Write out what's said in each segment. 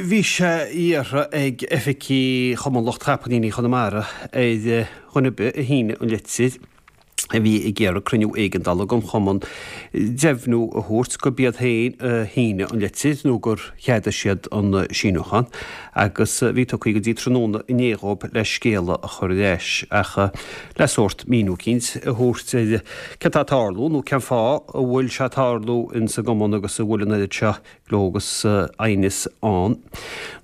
Bhí sé iarrtha ag oifigigh Chumann Lucht Chapaillíní Chonamara ar dhuine ar bith a shínigh an litir a bhí ag iarraidh cruinniú éigeandála den chumann deimhniú a thabhairt gurb iad féin a shínigh an litir nó gur cheadaigh siad an síniúchán agus bhí tugtha go dtí tráthnóna inné dhóibh le scéala a chur ar ais ach le sórt míniú eicínt a thabhairt ar céard atá ag tarlú nó cén fáth a bhfuil sé ag tarlú ins an gcumann agus a bhfuil an oiread seo gleo agus aighneas ann.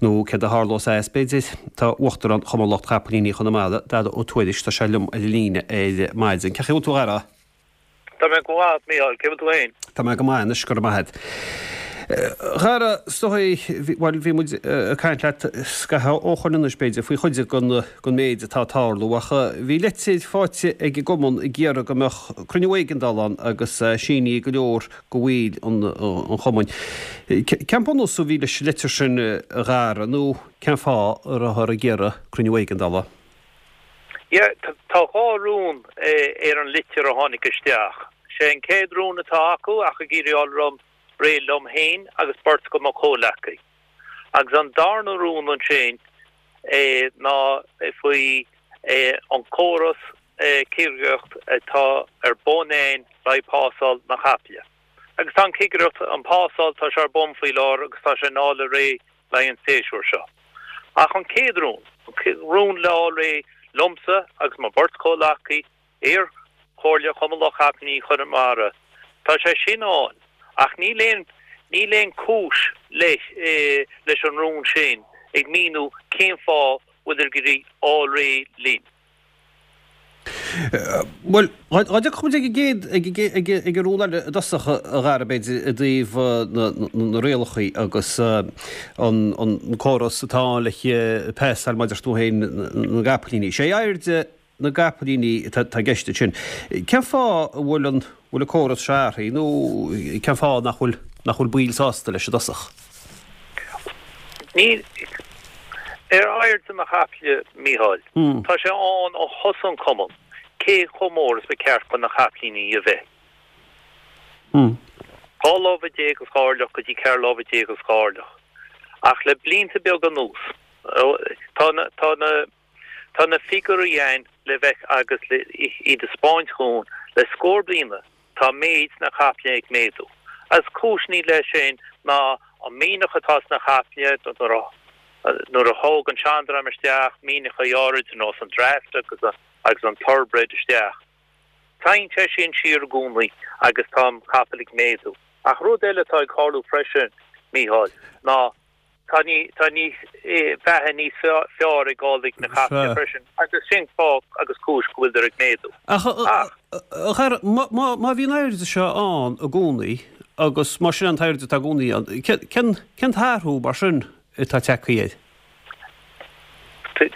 Nó céard a tharlós as, b'fhéidir? Tá Uachtarán Chumann Lucht Chapaillíní Chonamara, Dara Ó Tuairisg, tá sé liom ar an líne ar maidin. Cén chaoi a bhfuil tú, a Dhara? Tá mé go maith, Mícheál. Cé bhfuil tú féin? Tá mé go maith anois, go raibh maith agat. A Dhara, is dóigh, bhuel, bhí muid ag caint leat scaitheamh ó shoin anois, b'fhéidir, faoi chuid den méid atá ag tarlú, ach bhí litir faighte ag an gcumann ag iarraidh go mbeadh cruinniú éigeandála ann agus sínithe ag go leor de bhaill an chumainn. Cén bunús a bhí leis an litir sin, a Dhara, nó cén fáth a rabhthar ag iarraidh cruinniú éigeandála? Yeah, tá dhá rún ar an litir a tháinig isteach. Sé an chéad rún atá acu ach ag iarraidh fháil liom réidh liom féin agus beirt de mo chomhleacaí. Agus an darna rún ansin ná faoi an córas cigireacht atá ar bun ann le haghaidh pásáil na caiple. Agus tá an cigireacht, an phásáil, tá sé ar bun faoi láthair agus tá sé in fháil réidh le haghaidh an séasúr seo. Ach an chéad rún, an rún le fháil réidh liomsa agus mo bheirt chomhleacaí ar Chomhairle Chumann Lucht Capaillíní Chonamara, tá sé sin ann ach níl aon, níl aon cúis leis, leis an rún sin ag míniú cén fáth bhfuil ag iarraidh fháil réidh linn. Bhuel, dá dtiocfadh muid ag an gcéad, ag, ag an rún eile i dtosach, a Dhara, b'fhéidir, i dtaobh na rialacha agus an córas atá ann le pasáil mar a deir tú féin na gcapaillíní. Sé airde na gcapaillíní atá i gceist ansin. Cén fáth a bhfuil an, bhfuil an córas seo athraithe nó cén fáth nach bhfuil, nach bhfuil baill sásta leis i dtosach? Níl. Ar airde na caiple, Mícheál, tá sé ann ó thosaigh an cumann, cé chomh mór is ba cheart do na capaillíní a bheith. 12 lámha agus dhá orlach go dtí 14 lámha agus 2 orlach. Ach le blianta beaga anuas, tá na, tá na, tá na figiúirí ann le bheith agus le iad a 'speáint dhúinn le scór bliana, Tá méid na caiple ag méadú. Agus cúiseanna leis sin ná an mianach atá sna caiple, nuair a thóg an seandream isteach mianachaí áirid ar nós an Draft agus an Thoroughbred isteach. Téann sé sin siar i gcónaí agus tá an capall ag méadú. Ach rud eile atá ag tarlú freisin, Mícheál, ná Tá tá níos beatha níos fearr ag gabháil ag na caiple freisin agus sin fáth agus cúis go bhfuiltear ag méadú. Ach, a Dhara, má bhí an airde seo ann i gcónaí agus más sin an t-airde atá i gcónaí ann, cén cén t-athrú mar sin atá tagtha air?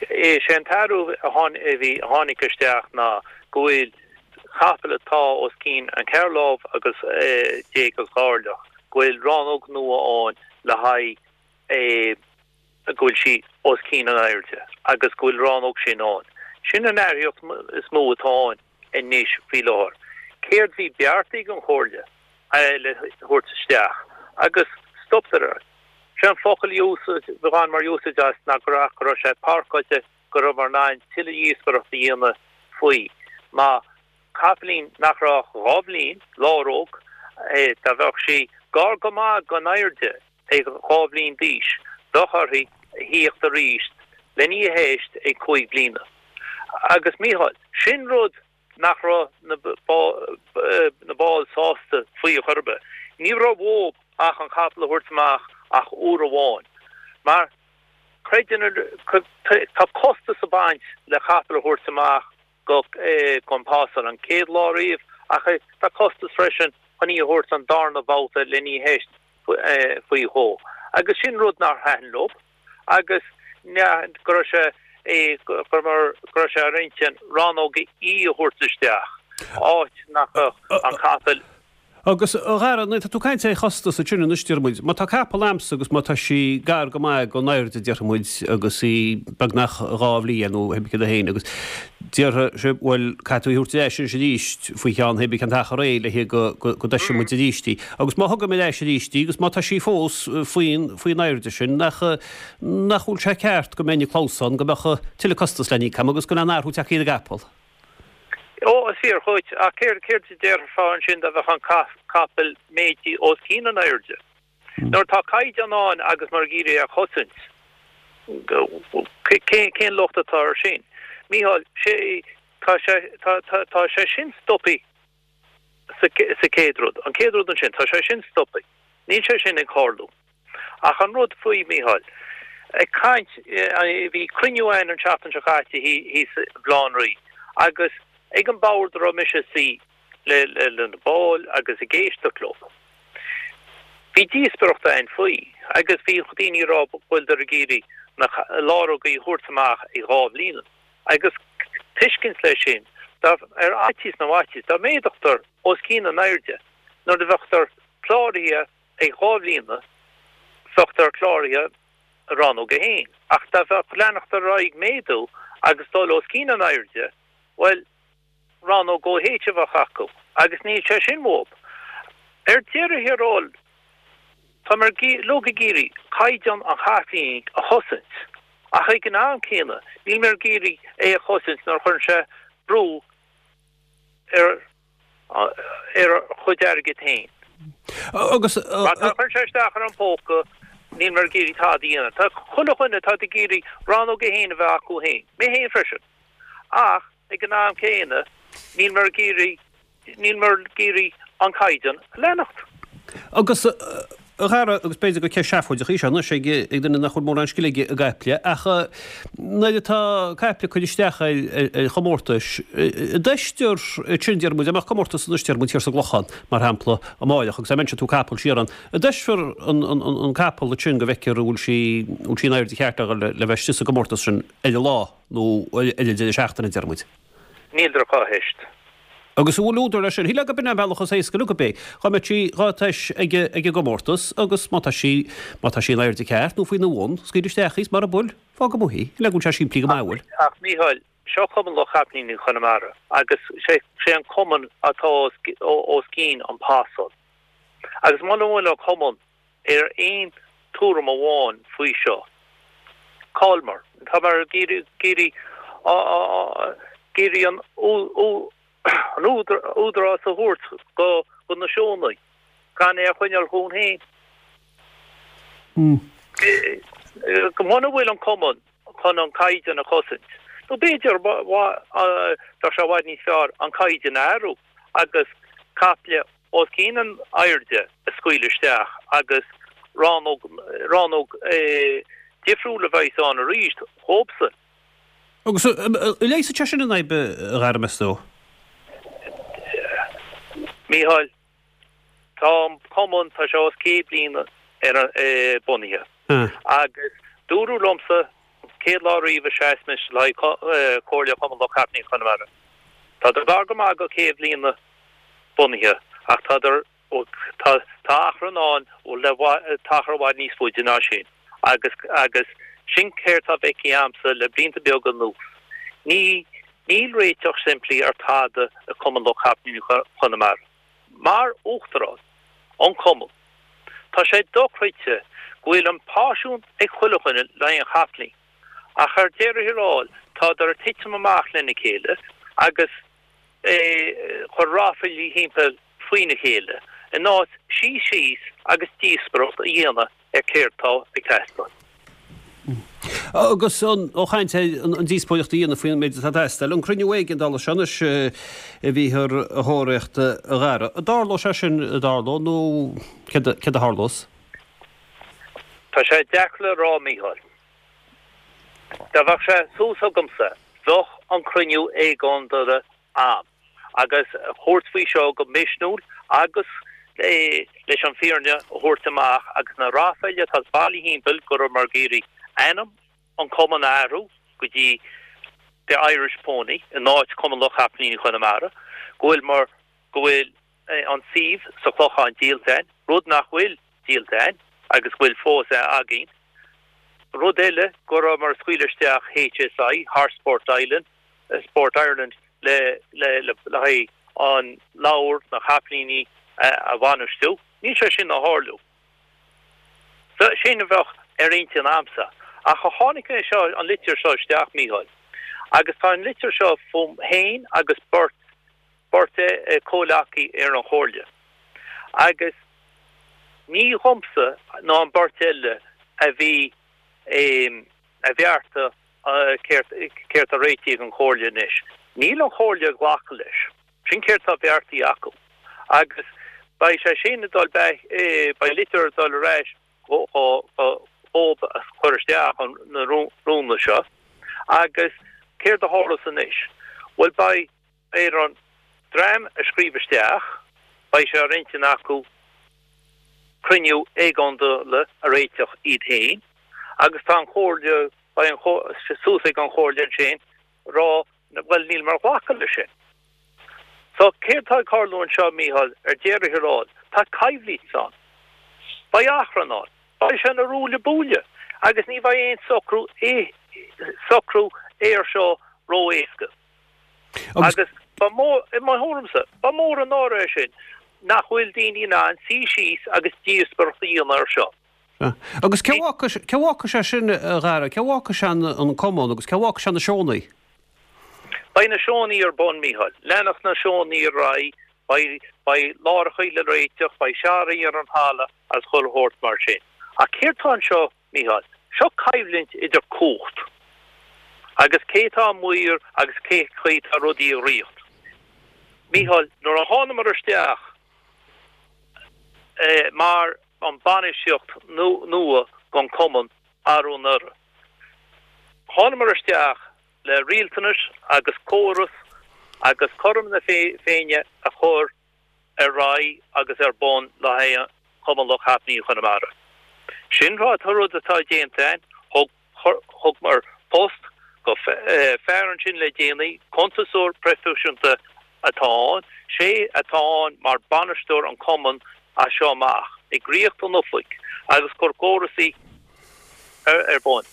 Is é an t-athrú a tháinig isteach ná go bhfuil capall atá os cionn an cheithre lámh agus déag agus dhá orlach, go bhfuil rannóg nua ann le haghaidh go bhfuil sí os cionn an airde agus go bhfuil rannóg sin ann. Sin an athraíocht is mó atá ann anois faoi láthair. Céard bhí beartaithe ag an Chomhairle le thabhairt isteach agus stoptar air. Sé an focal a bhaineamar úsáid as ná go raibh sé parcáilte go rabhamar in ann tuilleadh díospóireacht a dhéanamh faoi ná capaillín nach raibh ach 2 bhliain, láróg, dá bheadh sí gar go maith gon airde ag 2 bhliain d'aois, bheadh uirthi a thíocht arís len í a theist ag 5 bliana. Agus Mícheál, sin rud nach raibh na baill sásta faoi chor ar bith. Ní raibh uathu ach an capall a thabhairt amach ach uair amháin, mar creideann, tá costas ag baint le capall a thabhairt amach go gon phásáil an chéad lá riamh ach tá costas freisin chun í a thabhairt an darna babhta len í a theist faoi dhó. Agus sin rud nár thaitin leo agus go raibh sé go raibh sé ar intinn rannóg E a thabhairt isteach, áit nach mbeadh an capall. Agus, a Dhara, tá tú ag caint ar chostas ansin anois, déarfaidh muid. Má tá capall a'msa agus má tá sí gar go maith gon airde, déarfaidh muid, agus í beagnach 2 bhliain nó cibé céard é féin agus. Déarfaidh sibh, bhuel, caithfidh tú í a thabhairt ar ais anois arís faoi cheann pé ar bith cén t-achar é le go dtoisfidh muid arís í. Agus má thugaim ar ais arís í agus má tá sí fós faoin faoin airde sin, nach nach bhfuil sé ceart go mbeinn ag clamhsán, go mbeadh tuilleadh costas le n-íoc agam agus go mbeadh an athrú tagtha ar an gcapall. Ó, is fíor dhuit, ach céard céard a déarfá ansin dá mbeadh an capall méadaithe os cionn an airde? Nuair atá caighdeán ann agus muid ag iarraidh é a chosaint, cén locht atá air sin? Mícheál, sé, tá sé, tá, tá, tá sé sin stoptha sa, sa chéad rud. An chéad rud ansin, tá sé sin stoptha. Níl sé sin ag tarlú. Ach an rud faoi, Mícheál, ag caint, bhí cruinniú ann an tseachtain seo caite thíos i mBaile Átha an Rí agus ag an bord a raibh mise ag suí, le na baill agus ag éisteacht leo. Bhí díospóireacht ann faoi agus bhí daoine ag rá go bhfuileadar ag iarraidh na lárógaí a thabhairt amach ag 2 bhliana agus tuiscint leis sin dá ar fhaitíos na bhfaitíos dá méadódar os cionn an airde nuair a bheadar cláraithe ag 2 bhliana bheadar cláraithe i rannóg 1 ach dá bheadh leanacht ar aghaidh méadú agus dul os cionn an airde bhuel rannóg OH a bheadh acu agus níl sé sin uathu. Ar deireadh thiar thall, táimid uilig ag iarraidh caighdeán an chapaillín a chosaint ach ag an am céanna níl muid ag iarraidh é a chosaint nuair a chuireann sé brú ar ar ár gcuid airgid féin. Agus. Má tá chuireann sé isteach ar an póca níl muid ag iarraidh tada a dhéanamh. Tá chuile dhuine atá ag iarraidh rannóg 1 a bheith acu féin, mé féin freisin. Ach ag an am céanna, níl muid ag iarraidh, níl muid ag iarraidh an caighdeán a leanacht. Agus, a Dhara, agus b'fhéidir gur ceist seafóideach í seo anois ag duine nach bhfuil mórán scil aige i gcaiple, ach nuair atá caiple ag cur isteach ar chomórtais, an dteistear sin, déarfaidh muid, dá mbeadh comórtas anois, déarfaidh muid, thiar sa gClochán, mar shampla, amáireach, agus dá mbeinnse ag tabhairt capall siar ann, an dteistfear an capall ansin go bhfeicfear an bhfuil sí, an bhfuil sí in airde cheart le bheith istigh sa gcomórtas sin ar an lá? nó ar an deireadh seachtaine, deir muid. Níl dar cá theist. Agus an bhfuil údar leis sin? Shílfeá gurb in an bealach is éasca le gurb é. Dhá mbeadh sí dhá teist ag an gcomórtas agus má tá sí, má tá sí in airde ceart nó faoina bhun, scaoil isteach í is mara bhfuil, fág amuigh í. Le go bhfuil sé simplí go maith, an bhfuil? Ach Mícheáil, seo Cumann Lucht Capaillíní Chonamara agus sé an cumann atá os cionn an pasáil. Agus muna bhfuil an cumann ar aon tuairim amháin faoi seo. Cá'il muid? Tá muid ag iarraidh an údarás a thabhairt do na seónna, gan é a choinneáil chugainn féin. Muna bhfuil an cumann chun an caighdeán a chosaint, nó b'fhéidir bheadh sé i bhfad níos fearr an caighdeán a athrú agus caiple os cionn an airde a scaoileadh isteach agus rannóg, rannóg difriúil a bheas ann arís dhóibhsan. Agus an leigheasfaidh sé sin an fhadhb, a Dhara, meas tú? Mícheál, tá an cumann, tá sé os 100 bliain ar an, bunaithe agus dúradh liomsa an chéad lá riamh a sheas mise le haghaidh Comhairle Chumann Lucht Capaillíní Chonamara, tá gar go maith go 100 bliana bunaithe ach tá tá tá achrann ann le tá achar i bhfad níos faide ná sin agus agus sin céard tá feicthe a'msa le blianta beaga anuas. Ní níl réiteach simplí ar tada i Cumann Lucht Capaillíní Chonamara. Mar Uachtarán an Cumann tá sé dochreidte go bhfuil an páisiún ag chuile dhuine le haghaidh an chapaillín ach ar deireadh thiar thall tádar ag titim amach lena chéile agus ag cur ráflaí thimpeall faoina chéile, in áit suí síos agus díospóireacht a dhéanamh ar céard tá ag teastáil. Agus ó chaint ar an díospóireacht a dhéanamh faoin méid atá ag teastáil, an cruinniú éigeandála seo anois a bhíthear a thóraíocht, a Dhara, an dtarlóidh sé sin, an dtarlóidh nó céard a tharlós? Tá sé deacair le rá, Mícheál. Dá bheadh sé suas agamsa, bheadh an cruinniú éigeandála ann agus thabhairt faoi seo go misniúil agus leis an fírinne a thabhairt amach agus na ráflaí atá bailithe thimpeall go rabhamar ag iarraidh ainm an cumann a athrú go dtí The Irish Pony in áit Cumann Lucht Capaillíní Chonamara, go bhfuil mar go bhfuil an suíomh sa Chlochán díolta a'inn, rud nach bhfuil díolta a'inn agus go bhfuil fós againn. Rud eile, go rabhamar ag scaoileadh isteach HSI, Horse Sport Ireland. Sport Ireland le le le haghaidh an leabhar na capaillíní a bhainistiú. Níl sé sin a tharlú. Sin a bheadh ar intinn a'msa. Ach tháinig é seo, an litir seo isteach, Mícheál, agus tá an litir seo fúm féin agus beirt, beirt comhleacaí ar an chomhairle. Agus ní dhomsa ná an beirt eile a bhí a bhearta céard, céard a réitigh an chomhairle anois. Níl an chomhairle ag glacadh leis. Sin céard tá beartaithe acu. Agus beidh sé sin ag dul back, beidh litir ag dul ar ais dhóib a chur isteach na rúnna seo. Agus céard a tharlós anois? Bhuel beidh ar an dream a scríobh isteach, beidh sé ar intinn acu cruinniú éigeandála a réiteach iad féin agus tá an chomhairle, beidh an, suas ag an chomhairle ansin rá Bhuel, níleamar ag glacadh leis sin. So, céard tá ag tarlú anseo, Mícheál, ar deireadh thiar thall? Tá coimhlint ann. Beidh achrann ann. Beidh sé ina ruaille buaille. Agus ní bheidh aon socrú, socrú air seo ró-éasca. Agus ba mhór, i mo thuairimse, ba mhór an náire é sin nach bhfuil daoine in ann suí síos agus díospóireacht a dhéanamh air seo. Agus cé bhfágfaidh sé sin, a Dhara? Cé bhfágfaidh sé an cumann agus cé bhfágfaidh sé na seónna? Beidh na seónna ar bun, Mícheál. Leanfaidh na seónna ar aghaidh, beidh, beidh láithreacha le réiteach, beidh searraí ar an thalamh agus chuile shórt mar sin. Ach céard tá anseo, Mícheál? Seo coimhlint idir cumhacht agus cé tá ag maoir agus cé chaoi tá rudaí ag rith. Mícheál, nuair a thánamar isteach mar an bainistíocht nua don cumann arú anuraidh. Thánamar isteach le rialtanais agus córas agus cothrom na Féinne a chur ar aghaidh agus ar bun le haghaidh Chumann Lucht Chapaillíní Chonamara. Sin rud atá déanta againn. Thug Thugamar post go fear ansin le déanaí, cuntasóir proifisiúnta atá ann, sé atá ann mar bainisteoir an cumann as seo amach, ag ritheacht an oifig agus cur córasaí ar bun.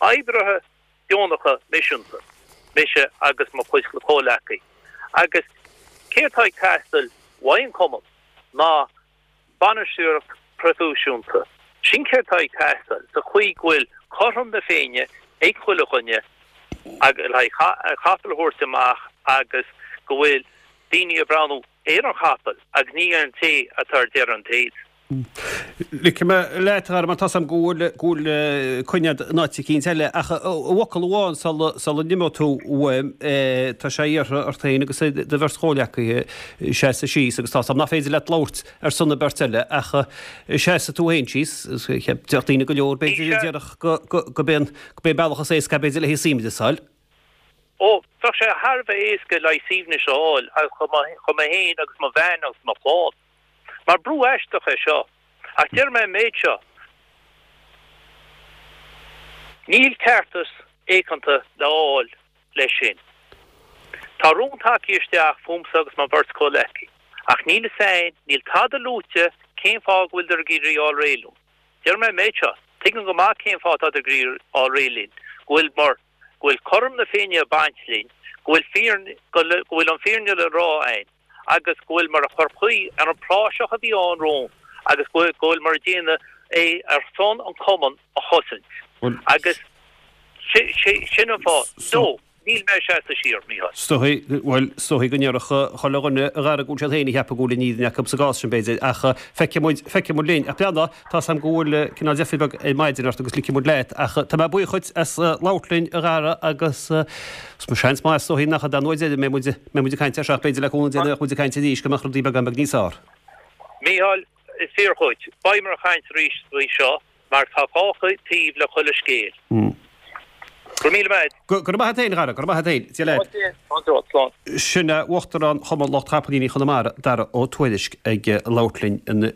Oibrithe deonacha miseanta, mise agus mo chuid comhleacaí. Agus céard atá ag teastail uaidh an cumann ná Bainistíocht proifisiúnta. Sin céard tá ag teastáil, sa chaoi go bhfuil cothrom na Féinne ag chuile dhuine le haghaidh capall a thabhairt amach agus go bhfuil daoine ag breathnú ar an chapall agus ní ar an té atá ar deireadh an téid. Ligfidh mé leat, a Dhara, mar tá's a'm go bhfuil, go bhfuil coinne a'd in áit eicínt eile, ach i bhfocal amháin sula, sula n-imeoidh tú uaim, tá sé iarrtha ort féin agus ar do bheirt chomhleacaithe seasamh síos agus tá's a'm nach féidir leat labhairt ar son na beirt eile ach seasfaidh tú féin síos, déarfadh daoine go leor b'fhéidir a déarfadh go, go, go b'é an, go b'é an bealach is éasca b'fhéidir le haghaidh suaimhneas a fháil. Ó, bheadh sé thar a bheith éasca le haghaidh suaimhneas a fháil do mé féin agus mo bhean agus mo chlann. Mar brú aisteach é seo. Ach deir mé an méid seo, níl ceartas éaganta le fháil leis sin. Tá rún tagtha isteach fúmsa agus mo bheirt comhleacaí, ach níl fhios a'inn, níl tada luaite cén fáth go bhfuiltear ag iarraidh fháil réidh linn. Deir mé an méid seo, tuigim go maith cén fáth atá ag iarraidh fháil réidh linn, go bhfuil mar, go bhfuil cothrom na Féinne ag baint linn, go bhfuil fírinne, go bhfuil an fírinne le rá a'inn agus go bhfuil mar a chur caoi ar an praiseach a bhí ann romhainn agus go bhfuil mar ag déanamh é ar son an cumann a chosaint. Agus sin an fáth. No, níl mé ag seasamh siar, Mícheál. Is dóigh, bhuel, is dóigh go ndéarfadh chuile dhuine a Dhara go bhfuil siad féin ag ceapadh go bhfuil an fhírinne acu sa gcás sin, b'fhéidir, ach feicfidh muid, feicfidh muid linn. Ach breathnaigh, tá's a'm go bhfuil cineál deifir beag ar maidin ort agus ligfidh muid leat, ach tá mé buíoch dhuit as labhairt linn, a Dhara, agus seans maith is dóigh nach é an uair deiridh a mbeidh muid, mbeidh muid ag caint air seo ach b'fhéidir le cúnamh Dé go mbeadh muid ag caint arís go mbeadh rudaí beagán beag níos fearr. Mícheál, is fíor dhuit. Beimid ag caint arís faoi seo. Mar tá dhá thaobh le chuile scéal. Go raibh míle maith a't. Go raibh maith a't fhéin, a Dhara, go raibh maith a't fhéin. Dia leat. Slán. Sin é Uachtarán Chumann Lucht Chapaillíní Chonamara, Dara Ó Tuairisg, ag labhairt linn ansin.